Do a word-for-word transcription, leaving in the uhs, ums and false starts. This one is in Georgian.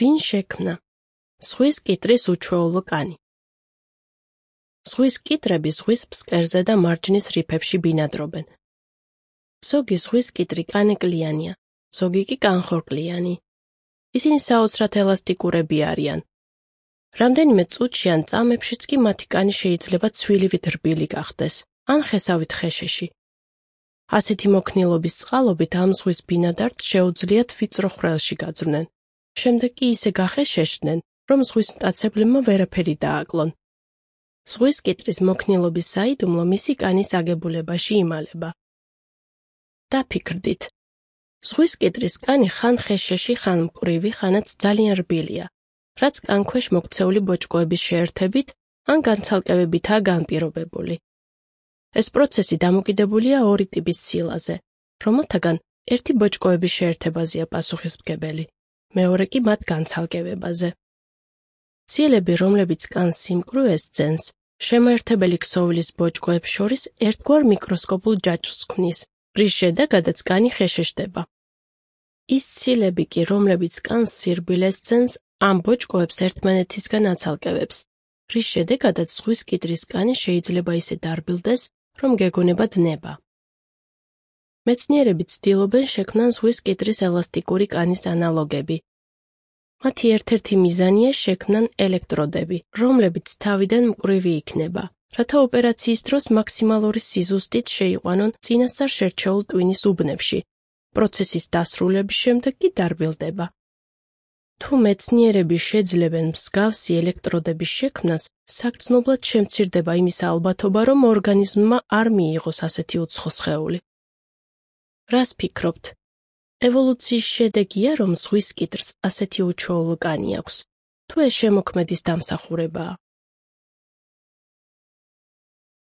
ვინ შექმნა? ზღვის კიტრის უჩვეულო კანი. ზღვის კიტრები ზღვის ფსკერზე და მარჯნის რიფებში ბინადრობენ. ზოგი ზღვის კიტრი კანეკლიანია, ზოგი კი კანხორკლიანი. ისინი საოცრად ელასტიკურები არიან. რამდენიმე წუთში ან წამებშიც კი მათი კანი შეიძლება ცვილივით რბილი გახდეს, ან ხესავით ხეშეში. ასეთი მოქნილობის წყალობით ამ ზღვის ბინადარს შეუძლიათ ვიწრო ხვრელში გაძვრნენ. შემდეგ კი ისე გახეშეშდნენ, რომ ზღვის მტაცებლებმა ვერაფერი დააკლონ. ზღვის კიტრის მოქნილობის საიდუმლო მისი კანის აგებულებაში იმალება. დაფიქრდით. ზღვის კიტრის კანი ხან ხეშეში, ხან მკვრივი, ხანაც ძალიან რბილია, რაც კანქვეშ მოქცეული ბოჭკოების შეერთებით ან განცალკევებითაა განპირობებული. ეს პროცესი დამოკიდებულია ორი ტიპის ცილაზე, რომელთაგან ერთი ბოჭკოების შეერთებაზეა პასუხისმგებელი, მეორე კი მათ განცალკევებაზე. ცილები, რომლებიც კანს სიმკვრივეს ძენს, შემაერთებელი ქსოვილის ბოჭკოებს შორის ერთგვარ მიკროსკოპულ ჯაჭვს ქმნის, რის შედეგადაც კანი ხეშეშდება. ის ცილები კი, რომლებიც კანს სირბილეს ძენს, ამ ბოჭკოებს ერთმანეთისგან აცალკევებს, რის შედეგადაც ზღვის კიტრის კანი შეიძლება ისე დარბილდეს, რომ გეგონება დნება. მეცნიერები ცდილობენ შექმნან ზღვის კიტრის ელასტიკური კანის ანალოგები. მათი ერთ-ერთი მიზანია შექმნან ელექტროდები, რომლებიც თავიდან მკვრივი იქნება, რათა ოპერაციის დროს მაქსიმალური სიზუსტით შეიყვანონ წინასწარ შერჩეულ ტვინის უბნებში. პროცესის დასრულების შემდეგ კი დარბილდება. თუ მეცნიერები შეძლებენ მსგავსი ელექტროდების შექმნას, საგრძნობლად შემცირდება იმის ალბათობა, რომ ორგანიზმმა არ მიიღოს ასეთი უცხო სხეული. რას ფიქრობთ? ევოლუციის შედეგია, რომ ზღვის კიტრს ასეთი უჩვეულო კანი აქვს, თუ ეს შემოქმედის დამსახურებაა?